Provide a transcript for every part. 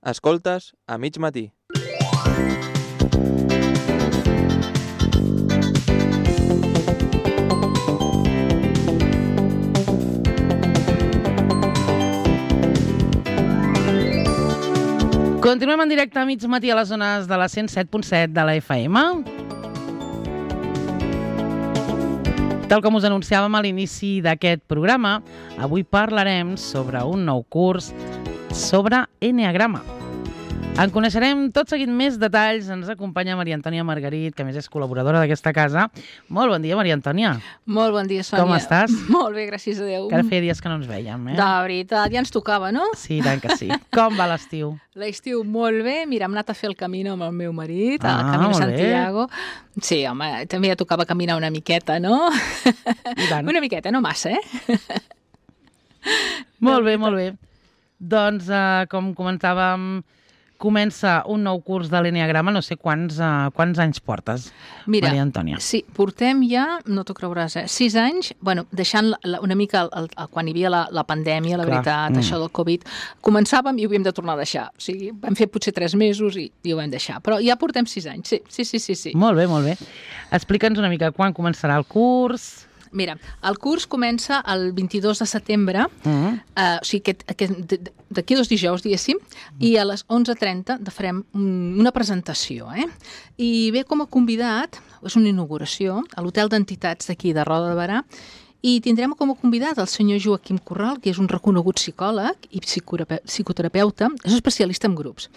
Escoltes a mig matí. Continuem en directe a mig matí a les zones de la 107.7 de la FM. Tal com us anunciàvem a l'inici d'aquest programa, avui parlarem sobre un nou curs sobre Enneagrama. En coneixerem tot seguit més detalls. Ens acompanya Maria Antònia Margarit, que a més és col·laboradora d'aquesta casa. Molt bon dia, Maria Antònia. Molt bon dia, Sònia. Com estàs? Molt bé, gràcies a Déu. Que ara feia dies que no ens vèiem, eh? De veritat, ja ens tocava, no? Sí, tant que sí. Com va l'estiu? L'estiu molt bé. Mira, hem anat a fer el camino amb el meu marit, el Camino molt Santiago. Bé. Sí, home, també ja tocava caminar una miqueta, no? I tant. Una miqueta, no massa, eh? Molt bé, molt bé. Doncs, com comentàvem, comença un nou curs de l'Enneagrama. No sé quants anys portes, Maria Antònia. Sí, portem ja, no t'ho creuràs, 6 anys, bueno, deixant una mica quan hi havia la pandèmia, la veritat, això del Covid, començàvem i ho havíem de tornar a deixar. O sigui, vam fer potser 3 mesos i ho vam deixar. Però ja portem 6 anys, sí. Molt bé, molt bé. Explica'ns una mica quan començarà el curs. Mira, el curs comença el 22 de setembre, o sigui, d'aquí 2 dijous, diguéssim, i a les 11:30 farem una presentació, I ve com a convidat, és una inauguració, a l'Hotel d'Entitats d'aquí de Roda de Berà, i tindrem com a convidat el senyor Joaquim Corral, que és un reconegut psicòleg i psicoterapeuta, és especialista en grups.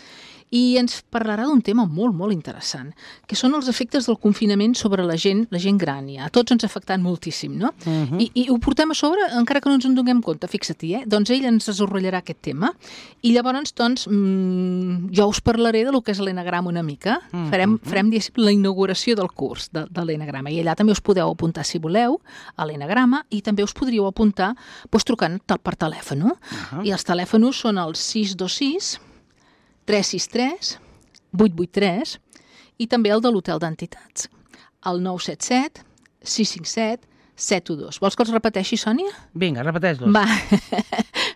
I ens parlarà d'un tema molt, molt interessant, que són els efectes del confinament sobre la gent gran. A tots ens ha afectat moltíssim, no? I ho portem a sobre, encara que no ens en donem compte, fixa-t'hi, Doncs ell ens desenvoluparà aquest tema. I llavors, doncs, jo us parlaré de lo que és l'Enneagrama una mica. Farem la inauguració del curs de l'Enneagrama. I allà també us podeu apuntar, si voleu, a l'Enneagrama, i també us podríeu apuntar trucant per telèfon. I els telèfons són el 626 363 883 i també el de l'Hotel d'Entitats, el 977 657 712. Vols que els repeteixi, Sònia? Vinga, repeteix-los. Va,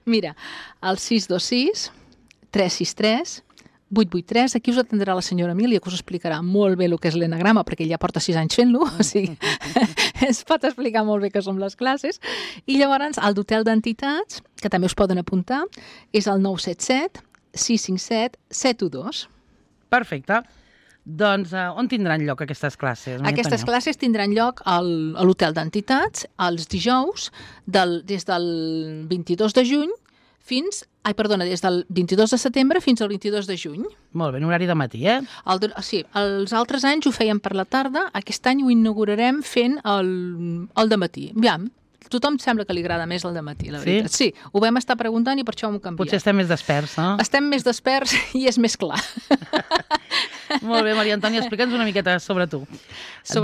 mira, el 626 363 883, aquí us atendrà la senyora Emília, que us explicarà molt bé el que és l'Enneagrama, perquè ella porta 6 anys fent-lo, o sigui, es pot explicar molt bé què són les classes. I llavors, el d'Hotel d'Entitats, que també us poden apuntar, és el 977 657 712. Perfecte. Doncs on tindran lloc aquestes classes? Aquestes classes tindran lloc a l'Hotel d'Entitats els dijous des del 22 de juny des del 22 de setembre fins al 22 de juny. Molt bé, en horari de matí, Sí, els altres anys ho fèiem per la tarda, aquest any ho inaugurarem fent el dematí. Aviam, tothom sembla que li agrada més el dematí, la veritat. Sí, ho vam estar preguntant i per això ho hem canviat. Potser estem més desperts, no? Estem més desperts i és més clar. Molt bé, Maria Antònia, explica'ns una miqueta sobre tu.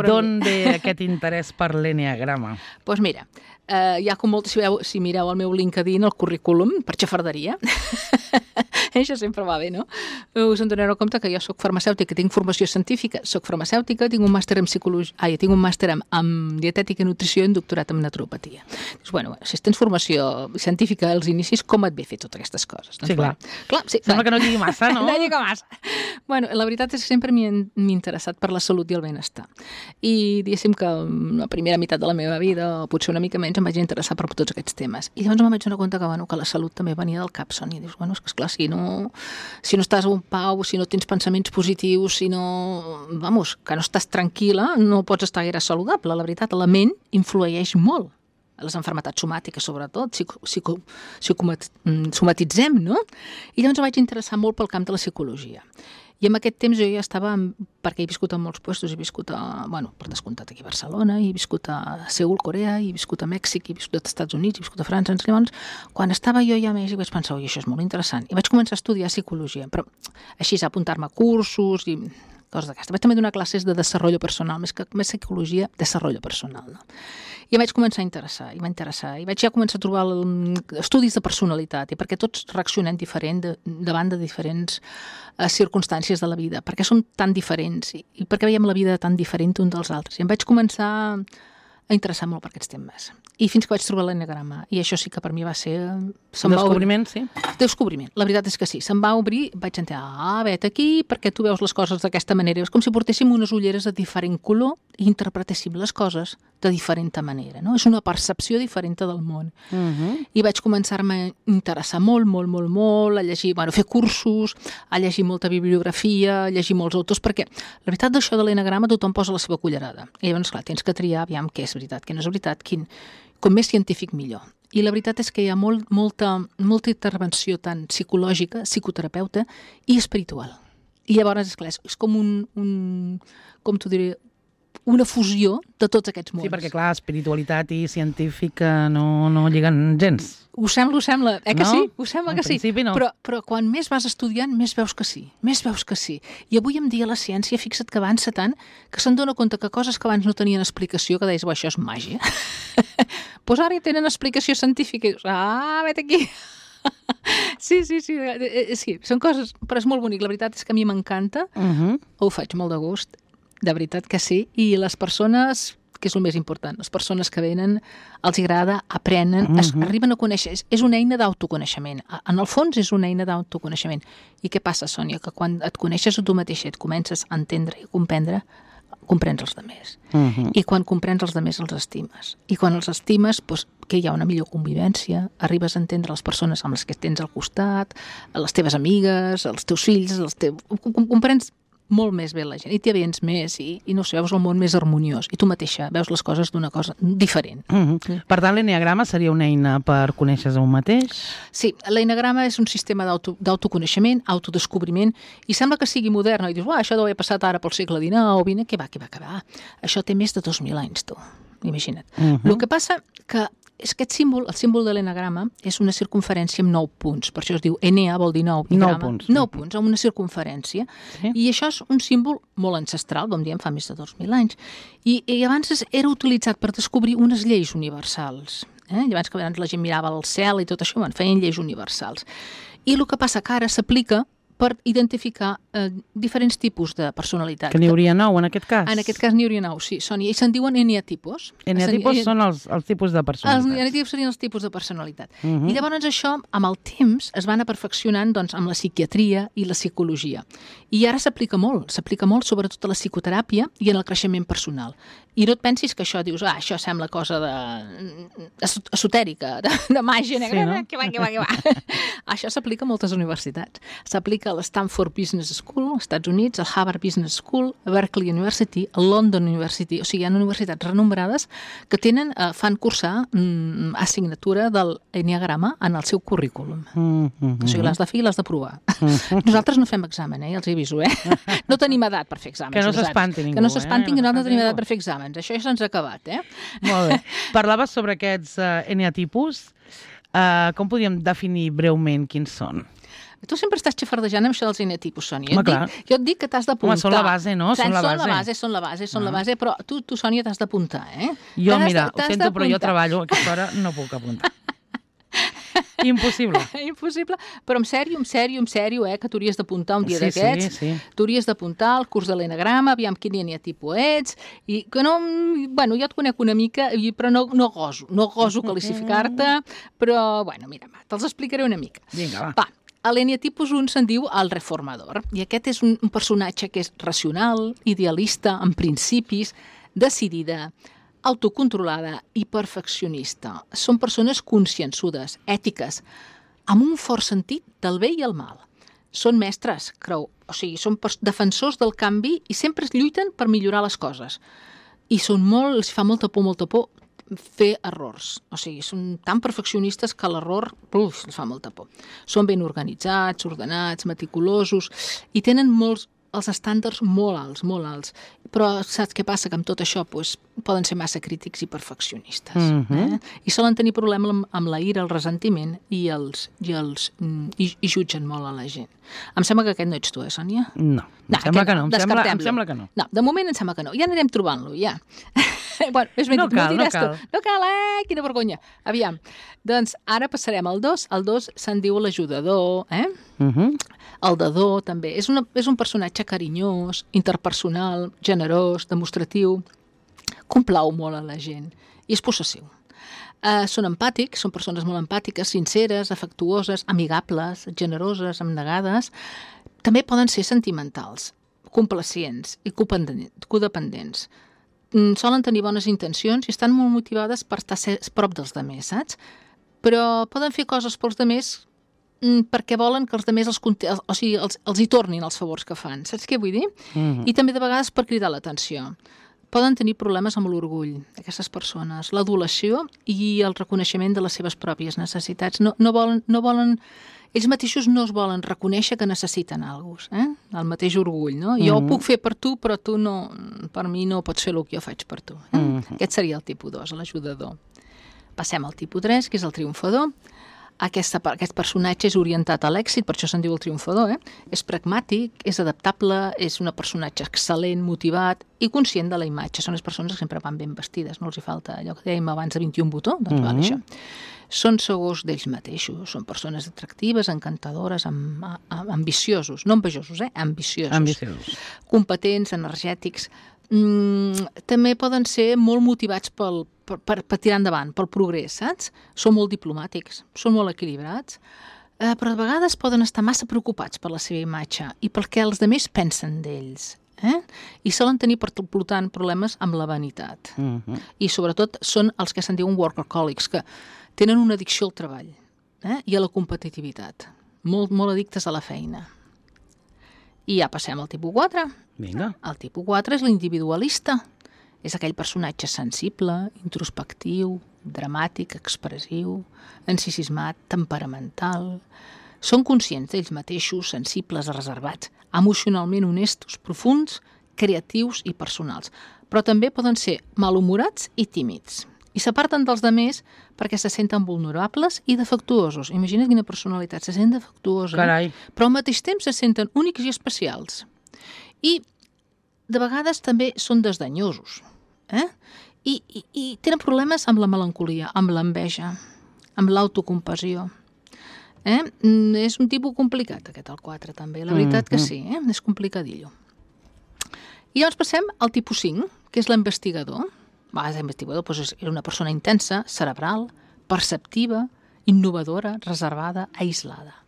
D'on ve aquest interès per l'Enneagrama? Doncs mira, ja com molt, si mireu el meu LinkedIn, el currículum, per xafarderia, això sempre va bé, no? Us en donareu compte que jo soc farmacèutica, tinc formació científica, soc farmacèutica, tinc un màster en psicologia, tinc un màster en dietètica i nutrició i un doctorat en naturopatia. Doncs, bueno, si tens formació científica als inicis, com et ve fer totes aquestes coses? Sí, clar. Sí, sembla que no lligui massa, no? No lligui massa. Bueno, la veritat és que sempre m'he interessat per la salut i el benestar. I diguéssim que la primera meitat de la meva vida, o potser una mica menys, em vaig interessar per tots aquests temes. I llavors em vaig donar compte que la salut també venia del cap, Sònia. I dius, bueno, és que esclar, si no estàs en pau, si no tens pensaments positius, que no estàs tranquil·la, no pots estar gaire saludable. La veritat, la ment influeix molt. Les malalties somàtiques, sobretot, somatitzem, no? I llavors em vaig interessar molt pel camp de la psicologia. I en aquest temps jo ja estava, perquè he viscut en molts llocs, he viscut per descomptat aquí a Barcelona, he viscut a Seül, Corea, he viscut a Mèxic, he viscut als Estats Units, he viscut a França. Llavors, quan estava jo ja a Mèxic vaig pensar, oi, això és molt interessant. I vaig començar a estudiar psicologia, però així a apuntar-me a cursos i coses d'aquestes. Vaig també donar classes de desenvolupament personal, més psicologia, desenvolupament personal, no? I em vaig començar a interessar, i vaig ja començar a trobar estudis de personalitat, i perquè tots reaccionem diferent davant de diferents circumstàncies de la vida, perquè som tan diferents, i perquè veiem la vida tan diferent un dels altres. I em vaig començar a interessar molt per aquests temes. I fins que vaig trobar l'eneagrama. I això sí que per mi va ser... Descobriment, sí. Descobriment. La veritat és que sí. Se'm va obrir, vaig entendre, vet aquí, perquè tu veus les coses d'aquesta manera. És com si portéssim unes ulleres de diferent color i interpretéssim les coses de diferent manera. No? És una percepció diferent del món. I vaig començar-me a interessar molt, a llegir, bueno, a fer cursos, a llegir molta bibliografia, a llegir molts autors, perquè la veritat d'això de l'eneagrama tothom posa la seva cullerada. I llavors, clar, tens que triar, aviam, què és veritat, què no és veritat, com més científic millor. I la veritat és que hi ha molta intervenció tant psicològica, psicoterapeuta i espiritual. I llavors, esclar, és com com t'ho diré, una fusió de tots aquests mons. Sí, perquè clar, espiritualitat i científica no lliguen gens. Ho sembla, que no? sí? Ho sembla que sí. No. Però quan més vas estudiant, més veus que sí. I avui em dia la ciència, fixa't que avança tant, que se'n dona compte que coses que abans no tenien explicació, que deies, això és màgia. Doncs ara ja tenen explicació científica. I dius, vet aquí. Sí, són coses, però és molt bonic. La veritat és que a mi m'encanta, ho faig molt de gust, de veritat que sí, i les persones, que és el més important, les persones que venen, els agrada, aprenen, arriben a conèixer, és una eina d'autoconeixement. En el fons és una eina d'autoconeixement. I què passa, Sònia? Que quan et coneixes a tu mateixa, et comences a entendre i a comprendre, comprens els demés. I quan comprens els demés, els estimes. I quan els estimes, doncs, que hi ha una millor convivència, arribes a entendre les persones amb les que tens al costat, les teves amigues, els teus fills, comprens molt més bé la gent, i t'hi avens més, i no sé, veus el món més harmoniós, i tu mateixa veus les coses d'una cosa diferent. Per tant, l'eneagrama seria una eina per conèixer-se un mateix? Sí, l'eneagrama és un sistema d'autoconeixement, autodescobriment, i sembla que sigui modern, i dius, això deu haver passat ara pel segle XIX, o XX, que va. Això té més de 2.000 anys, tu, imagina't. El que passa que és aquest símbol, el símbol de l'eneagrama, és una circunferència amb 9 punts. Per això es diu Enea, vol dir 9. 9 punts. 9 punts, amb una circunferència. Sí. I això és un símbol molt ancestral, com diem, fa més de 2.000 anys. I abans era utilitzat per descobrir unes lleis universals. Llavors que abans la gent mirava al cel i tot això, feien lleis universals. I el que passa que ara s'aplica per identificar diferents tipus de personalitat. Que n'hi hauria 9, en aquest cas? En aquest cas n'hi hauria 9, sí, Sònia. I se'n diuen eneatipos. Eneatipos són els tipus de personalitat. Els eneatipos serien els tipus de personalitat. I llavors això, amb el temps, es va anar perfeccionant amb la psiquiatria i la psicologia. I ara s'aplica molt sobretot a la psicoteràpia i en el creixement personal. I no et pensis que això dius, això sembla cosa esotèrica, de màgia negra, sí, no? Que va. Això s'aplica a moltes universitats. S'aplica a l'Stanford Business School, als Estats Units, al Harvard Business School, a Berkeley University, a London University. O sigui, hi ha universitats renombrades que fan cursar assignatura del eneagrama en el seu currículum. O sigui, l'has de fer i l'has de provar. Nosaltres no fem examen, ja els hi aviso, No tenim edat per fer exàmens. Que no s'espanti ningú. Que no s'espantin, que nosaltres no tenim edat per fer exàmens. Això ja se'ns ha acabat, Molt bé. Parlaves sobre aquests eneatipus. Com podríem definir breument quins són? Tu sempre estàs xafardejant amb això dels eneatipus, Sònia. Jo et dic que t'has d'apuntar. Home, són la base, no? Són la base, però tu, Sònia, t'has d'apuntar, Jo, mira, ho sento, però jo treballo a aquesta hora, no puc apuntar. Impossible. Impossible, però en sèrio, que tu hauries d'apuntar un dia d'aquests. Sí. Tu hauries d'apuntar al curs de l'eneagrama, aviam quin eneatipo ets, i que no... Bueno, jo et conec una mica, però no goso classificar-te, però, mira, te'ls explicaré una mica. Vinga, va. A l'eneatipus 1 se'n diu el reformador, i aquest és un personatge que és racional, idealista, amb principis, decidida, autocontrolada i perfeccionista. Són persones consciençudes, ètiques, amb un fort sentit del bé i el mal. Són mestres, són defensors del canvi i sempre lluiten per millorar les coses. I els fa molta por fer errors. O sigui, són tan perfeccionistes que l'error els fa molta por. Són ben organitzats, ordenats, meticulosos i tenen els estàndards molt alts. Però saps què passa? Que amb tot això poden ser massa crítics i perfeccionistes. I solen tenir problema amb la ira, el ressentiment i jutgen molt a la gent. Em sembla que aquest no ets tu, Sònia? No, em sembla que no. No, de moment em sembla que no. Ja anirem trobant-lo, ja. No cal. No cal, quina vergonya. Aviam, doncs ara passarem al 2. El 2 se'n diu l'ajudador, El dador també. És un personatge carinyós, interpersonal, generós, demostratiu. complau molt a la gent i és possessiu. Són empàtics, són persones molt empàtiques, sinceres, afectuoses, amigables, generoses, abnegades. També poden ser sentimentals, complacients i codependents. Solen tenir bones intencions i estan molt motivades per estar prop dels demés, saps? Però poden fer coses pels demés perquè volen que els demés els hi tornin els favors que fan. Saps què vull dir? I també de vegades per cridar l'atenció. Poden tenir problemes amb l'orgull, aquestes persones, l'adulació i el reconeixement de les seves pròpies necessitats. No volen, ells mateixos no es volen reconèixer que necessiten alguna cosa, el mateix orgull, no? Jo ho puc fer per tu, però tu no, per mi no pots fer el que jo faig per tu. Aquest seria el tipus 2, l'ajudador. Passem al tipus 3, que és el triomfador. Aquest personatge és orientat a l'èxit, per això se'n diu el triomfador, És pragmàtic, és adaptable, és un personatge excel·lent, motivat i conscient de la imatge. Són les persones que sempre van ben vestides, no els hi falta allò que dèiem abans de 21 botó, doncs val això. Són segurs d'ells mateixos, són persones atractives, encantadores, ambiciosos, no envejosos, ambiciosos. Competents, energètics. També poden ser molt motivats per tirar endavant, pel progrés, saps? Són molt diplomàtics, són molt equilibrats, però de vegades poden estar massa preocupats per la seva imatge i pel que els altres pensen d'ells. I solen tenir, per tant, problemes amb la vanitat. I sobretot són els que se'n diuen workaholics, que tenen una addicció al treball i a la competitivitat. Molt addictes a la feina. I ja passem al tipus 4. Vinga. El tipus 4 és l'individualista. És aquell personatge sensible, introspectiu, dramàtic, expressiu, encisismat, temperamental. Són conscients d'ells mateixos, sensibles, reservats, emocionalment honestos, profunds, creatius i personals. Però també poden ser malhumorats i tímids. I s'aparten dels demés perquè se senten vulnerables i defectuosos. Imagina't quina personalitat, se sent defectuosa. Carai. Però al mateix temps se senten únics i especials. I de vegades també són desdenyosos. I tenen problemes amb la melancolia, amb l'enveja, amb l'autocompassió. És un tipus complicat, aquest, el 4, també. La veritat que sí, és complicadillo. I llavors passem al tipus 5, que és l'investigador. L'investigador és una persona intensa, cerebral, perceptiva, innovadora, reservada, aislada.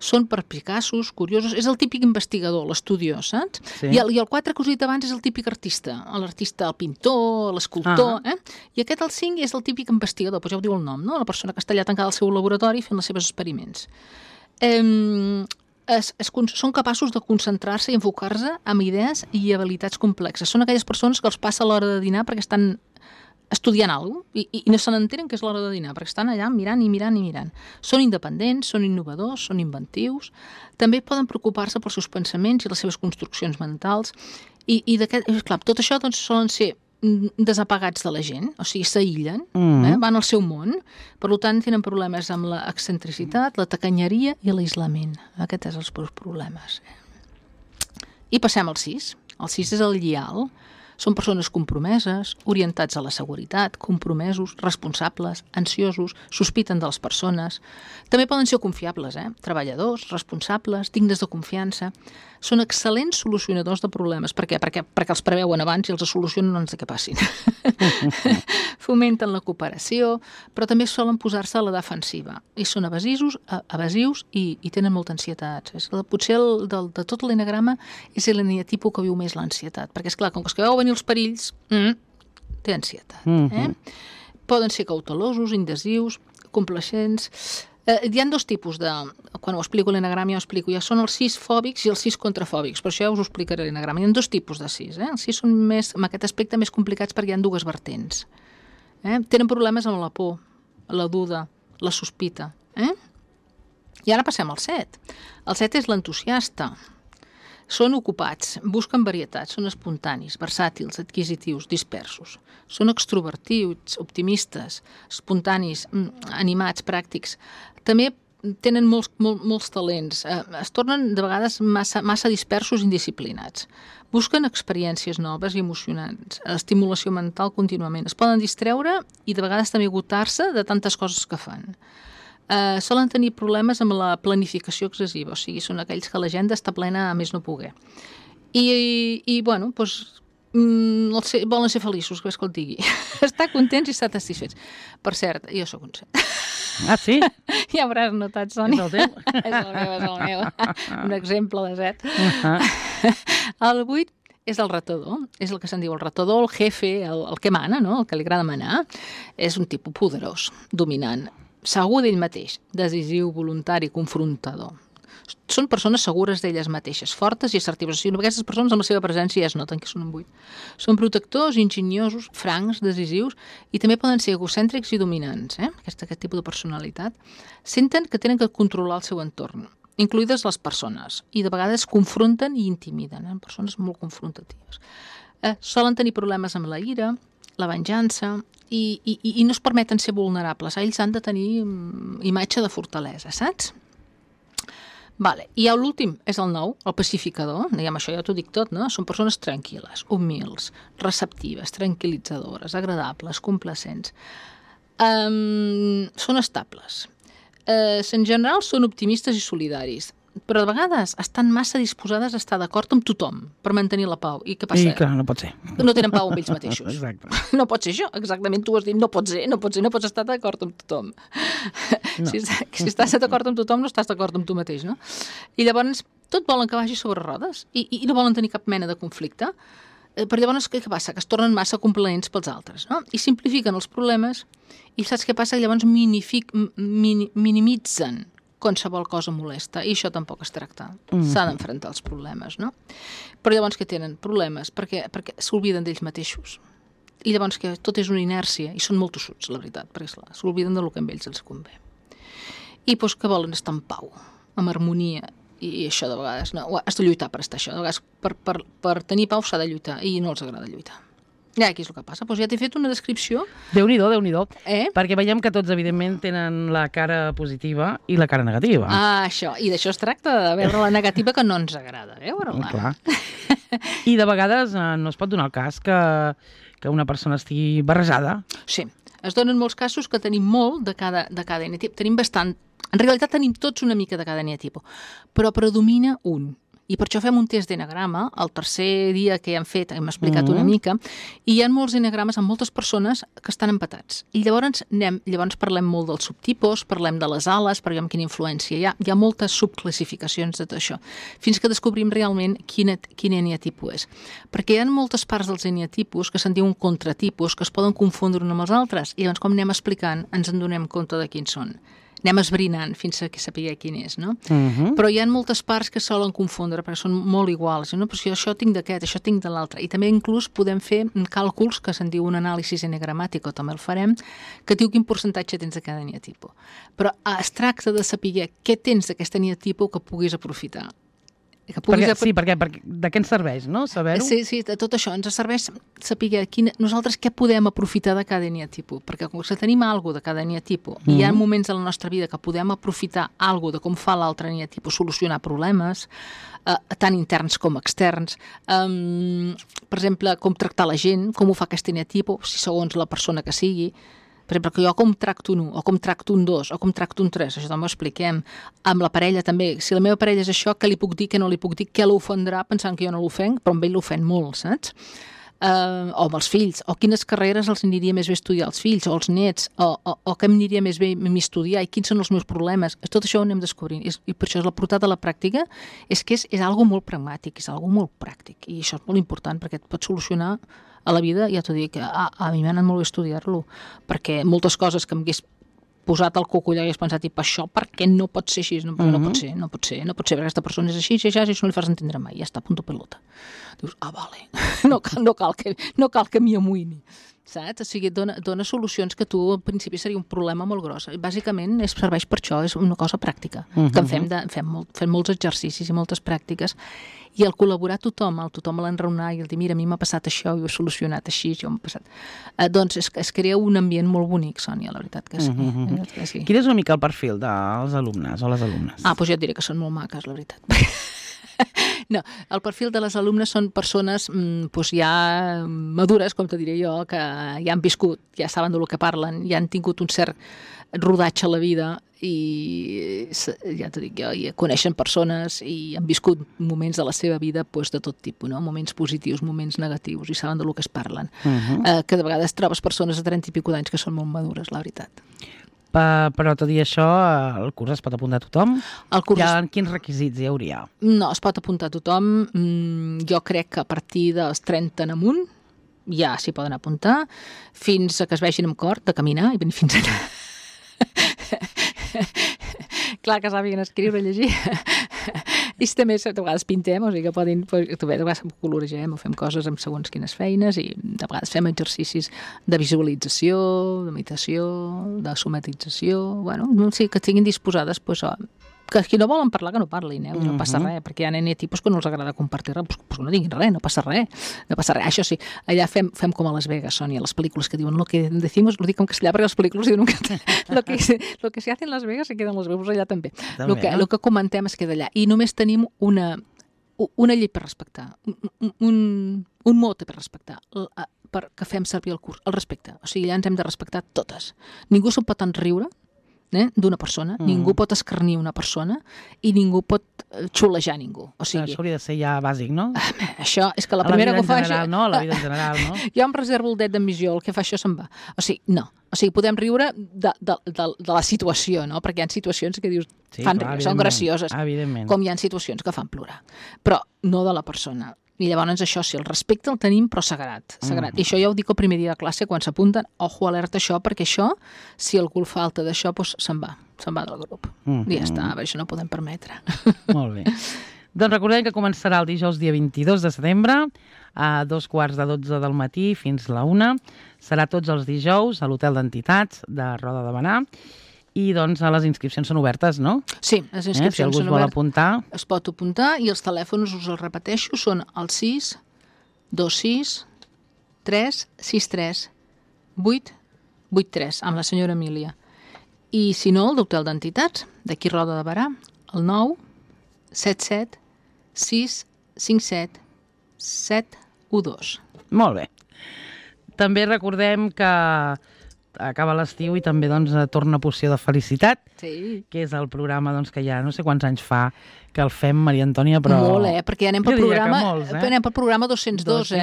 Són perspicaços, curiosos, és el típic investigador, l'estudiós, saps? Sí. I el 4 que us he dit abans és el típic artista, l'artista, el pintor, l'escultor, I aquest, el 5, és el típic investigador, ja ho diu el nom, no? La persona que està allà tancada al seu laboratori fent els seus experiments. Són capaços de concentrar-se i enfocar-se en idees i habilitats complexes. Són aquelles persones que els passa l'hora de dinar perquè estan estudiant alguna cosa i no se n'entenen que és l'hora de dinar, perquè estan allà mirant i mirant i mirant. Són independents, són innovadors, són inventius, també poden preocupar-se pels seus pensaments i les seves construccions mentals i clar, tot això doncs, solen ser desapagats de la gent, o sigui, s'aïllen, van al seu món, per tant tenen problemes amb l'excentricitat, la tacanyeria i l'aislament. Aquests són els problemes. I passem al 6. El 6 és el lleal. Són persones compromeses, orientats a la seguretat, compromesos, responsables, ansiosos, sospiten de les persones. També poden ser confiables, treballadors, responsables, dignes de confiança. Són excel·lents solucionadors de problemes. Per què? Perquè els preveuen abans i els solucionen abans que passin. Fomenten la cooperació, però també solen posar-se a la defensiva. I són evasius i tenen molta ansietat. Potser de tot l'enagrama és l'eneatipus que viu més l'ansietat. Perquè, esclar, com que es veu venir els perills, té ansietat. Poden ser cautelosos, indecisius, complacents. Hi ha 2 tipus quan ho explico l'enagrama, ja són els 6 fòbics i els 6 contrafòbics, però això ja us ho explicaré l'enagrama. Hi ha 2 tipus de 6. Els 6 són en aquest aspecte més complicats perquè hi ha 2 vertents. Tenen problemes amb la por, la duda, la sospita. I ara passem al 7. El 7 és l'entusiasta. Són ocupats, busquen varietats, són espontanis, versàtils, adquisitius, dispersos. Són extrovertits, optimistes, espontanis, animats, pràctics. També tenen molts talents. Es tornen de vegades massa dispersos i indisciplinats. Busquen experiències noves i emocionants, estimulació mental contínuament. Es poden distreure i de vegades també agotar-se de tantes coses que fan. Solen tenir problemes amb la planificació excessiva, o sigui, són aquells que l'agenda està plena a més no poder. I bueno, doncs, volen ser feliços, que és que el digui. Estar contents i estar satisfets. Per cert, jo sóc un 7. Ah, sí? Ja hauràs notat, Sònia. És el teu? És el meu. Un exemple de 7. El 8 és el retador, és el que se'n diu el retador, el jefe, el que mana, no? El que li agrada manar. És un tipus poderós, dominant, segur d'ell mateix, decisiu, voluntari, confrontador. Són persones segures d'elles mateixes, fortes i assertives. O sigui, aquestes persones amb la seva presència ja es noten que són un 8. Són protectors, enginyosos, francs, decisius i també poden ser egocèntrics i dominants, aquest tipus de personalitat. Senten que tenen que controlar el seu entorn, incluïdes les persones, i de vegades confronten i intimiden, persones molt confrontatives. Solen tenir problemes amb la ira, la venjança, i no es permeten ser vulnerables. Ells han de tenir imatge de fortalesa, saps? Vale. I l'últim és el 9, el pacificador. Diguem, això ja t'ho dic tot, no? Són persones tranquil·les, humils, receptives, tranquil·litzadores, agradables, complacents. Són estables. En general són optimistes i solidaris, però de vegades estan massa disposades a estar d'acord amb tothom per mantenir la pau. I què passa? I clar, no pot ser. No tenen pau amb ells mateixos. Exacte. No pot ser això, exactament, tu has dit, no pots estar d'acord amb tothom. No. Si estàs d'acord amb tothom, no estàs d'acord amb tu mateix, no? I llavors tot volen que vagi sobre rodes i no volen tenir cap mena de conflicte. Per llavors, què passa? Que es tornen massa complaents pels altres, no? I simplifiquen els problemes i saps què passa? Llavors minimitzen qualsevol cosa molesta, i això tampoc es tracta. S'ha d'enfrontar els problemes, no? Però llavors que tenen problemes perquè s'obliden d'ells mateixos. I llavors que tot és una inèrcia, i són molt tossuts, la veritat, perquè s'obliden del que a ells els convé. I doncs que volen estar en pau, amb harmonia, i això de vegades, no, has de lluitar per estar això, de vegades per tenir pau s'ha de lluitar, i no els agrada lluitar. Ja, aquí és el que passa. Doncs ja t'he fet una descripció. Déu-n'hi-do, Déu-n'hi-do. Perquè veiem que tots, evidentment, tenen la cara positiva i la cara negativa. Ah, això. I d'això es tracta, de veure la negativa que no ens agrada veure-la. Clar. I de vegades no es pot donar el cas que una persona estigui barrejada. Sí. Es donen molts casos que tenim molt de cada eneatip. Tenim bastant. En realitat tenim tots una mica de cada eneatip, però predomina un. I per això fem un test d'enagrama, el tercer dia que hem fet, hem explicat una mica, i hi ha molts enagrames amb moltes persones que estan empatats. I llavors parlem molt dels subtipus, parlem de les ales, per veure quina influència hi ha. Hi ha moltes subclassificacions de tot això, fins que descobrim realment quin eneatipus és. Perquè hi ha moltes parts dels eneatipus que se'n diuen contratipus, que es poden confondre un amb els altres, i llavors com anem explicant ens en donem compte de quins són. Anem esbrinant fins a saber quin és, no? Però hi ha moltes parts que solen confondre perquè són molt iguals, no? Però si això tinc d'aquest, això tinc de l'altre. I també inclús podem fer càlculs que se'n diu un anàlisi enegramàtic, o també el farem, que diu quin percentatge tens de cada eneatipus. Però es tracta de saber què tens d'aquest eneatipus que puguis aprofitar. Sí, perquè de què ens serveix, no? Saber-ho? Sí, de tot això. Ens serveix saber nosaltres què podem aprofitar de cada eneatipus, perquè com que tenim alguna de cada eneatipus, i hi ha moments en la nostra vida que podem aprofitar alguna de com fa l'altre eneatipus, solucionar problemes, tant interns com externs, per exemple, com tractar la gent, com ho fa aquest eneatipus, si segons la persona que sigui. Per exemple, que jo com tracto un 1, o com tracto un 2, o com tracto un 3, això també ho expliquem. Amb la parella també, si la meva parella és això, què li puc dir, què no li puc dir, què l'ofendrà pensant que jo no l'ofenc, però amb ell l'ofèn molt, saps? O amb els fills, o quines carreres els aniria més bé estudiar els fills, o els nets, o què m'aniria més bé estudiar, i quins són els meus problemes. Tot això ho anem descobrint, i per això la portada a la pràctica és que és algo molt pragmàtic, és algo molt pràctic, i això és molt important perquè et pot solucionar a la vida. Ja t'ho dic, a mi m'ha anat molt bé estudiar-lo, perquè moltes coses que m'hagués posat al coco i hagués pensat, i per això, per què no pot ser així? No pot ser, perquè aquesta persona és així, i això no li fas entendre mai, ja està, punto pelota. Dius, vale, no cal que m'hi amoïni. Saps? O sigui, dona solucions que tu al principi seria un problema molt gros. Bàsicament serveix per això, és una cosa pràctica, que fem molts exercicis i moltes pràctiques, i al col·laborar tothom l'enraonar i el dir, mira, a mi m'ha passat això i ho he solucionat així, això m'ha passat. Doncs es crea un ambient molt bonic, Sònia, la veritat que sí. Quin és una mica el perfil dels alumnes o les alumnes? Doncs ja et diré que són molt maques, la veritat. No, el perfil de les alumnes són persones ja madures, com te diré jo, que ja han viscut, ja saben del que parlen, ja han tingut un cert rodatge a la vida i ja t'ho dic jo, i coneixen persones i han viscut moments de la seva vida doncs, de tot tipus, no? Moments positius, moments negatius, i saben del que es parlen. Que de vegades trobes persones de 30 i pico d'anys que són molt madures, la veritat. Però tot i això, el curs es pot apuntar a tothom? Quins requisits hi hauria? No, es pot apuntar a tothom. Jo crec que a partir dels 30 en amunt ja s'hi poden apuntar, fins a que es vegin amb cor de caminar i venir fins allà. Clar que sàpiguen escriure i llegir. I també de vegades pintem, o sigui que podin, de vegades coloregem o fem coses amb segons quines feines i de vegades fem exercicis de visualització, de meditació, de somatització, bueno, sí, que estiguin disposades, doncs, que qui no volen parlar que no parlin, no passa res, perquè hi ha tipus que no els agrada compartir res, doncs no diguin res, no passa res. Això sí, allà fem com a Las Vegas, Sònia, les pel·lícules que diuen lo que decimos, lo dic en castellà perquè les pel·lícules diuen lo que se hace en Las Vegas se queda en Las Vegas, allà també. Lo que comentem es queda allà. I només tenim una llei per respectar, un mot per respectar, que fem servir el curs, el respecte. O sigui, allà ens hem de respectar totes. Ningú se'n pot enriure d'una persona, ningú pot escarnir una persona i ningú pot xulejar ningú. O sigui, això hauria de ser ja bàsic, no? Això és que la primera que ho fa... A la vida en general, no? Jo em reservo el det d'admissió, el que fa això se'n va. O sigui, no. O sigui, podem riure de la situació, no? Perquè hi ha situacions que dius, fan riure, són gracioses. Com hi ha situacions que fan plorar. Però no de la persona. I llavors això sí, el respecte el tenim però sagrat. I això ja ho dic el primer dia de classe quan s'apunten, ojo, alerta això, perquè això, si algú falta d'això, doncs se'n va del grup. I ja està, això no ho podem permetre. Molt bé. Doncs recordem que començarà el dijous dia 22 de setembre a 2:45 del matí fins la 1. Serà tots els dijous a l'Hotel d'Entitats de Roda de Berà. I doncs les inscripcions són obertes, no? Sí, les inscripcions si algú es vol apuntar... Es pot apuntar i els telèfons, us els repeteixo, són el 6 26 3 63 8 83, amb la senyora Emília. I si no, el d'Hotel d'Entitats, d'aquí Roda de Berà, el 9 77 6 57 712. Molt bé. També recordem que acaba l'estiu i també torna Poció de Felicitat, que és el programa que ja no sé quants anys fa que el fem, Maria Antònia, però... Molt, perquè ja anem pel programa 202,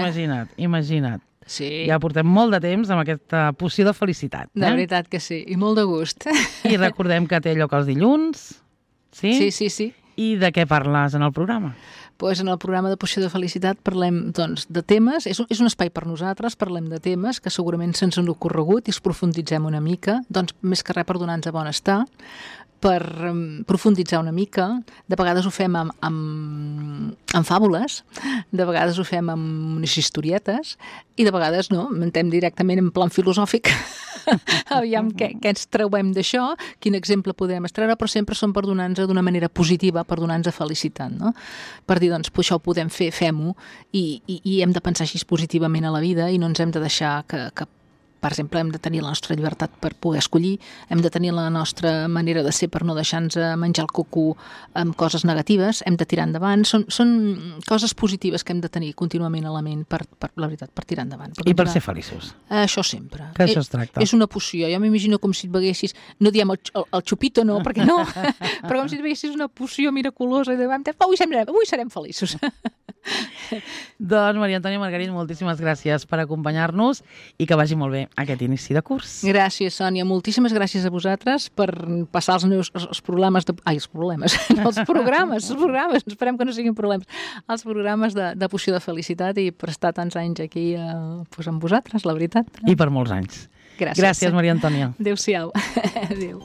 Imagina't. Sí. Ja portem molt de temps amb aquesta Poció de Felicitat. De veritat que sí, i molt de gust. I recordem que té lloc els dilluns, sí? Sí. I de què parles en el programa? Doncs en el programa de Poció de Felicitat parlem de temes, és un espai per nosaltres, parlem de temes que segurament se'ns han ocorregut i els profunditzem una mica, més que res per donar-nos benestar, per profunditzar una mica. De vegades ho fem amb fàbules, de vegades ho fem amb unes historietes i de vegades no, mentem directament en plan filosòfic. Aviam què ens trauem d'això, quin exemple podem extreure, però sempre són per donar-nos d'una manera positiva, per donar-nos felicitat, no? Per dir, doncs, això ho podem fer, fem-ho, i hem de pensar així positivament a la vida i no ens hem de deixar que per exemple, hem de tenir la nostra llibertat per poder escollir, hem de tenir la nostra manera de ser per no deixar-nos menjar el coco amb coses negatives, hem de tirar endavant. Són coses positives que hem de tenir contínuament a la ment, la veritat, per tirar endavant. I per ser feliços. Això sempre. Que això es tracta. És una poció. Jo m'imagino com si et beguessis, no diem el xupito, no, perquè no, però com si et beguessis una poció miraculosa i de avui serem feliços. Doncs, Maria Antònia Margarit, moltíssimes gràcies per acompanyar-nos i que vagi molt bé aquest inici de curs. Gràcies, Sònia. Moltíssimes gràcies a vosaltres per passar els programes esperem que no siguin problemes, els programes de Poció de Felicitat i per estar tants anys aquí amb vosaltres, la veritat. I per molts anys. Gràcies, Maria Antònia. Adéu-siau. Adéu.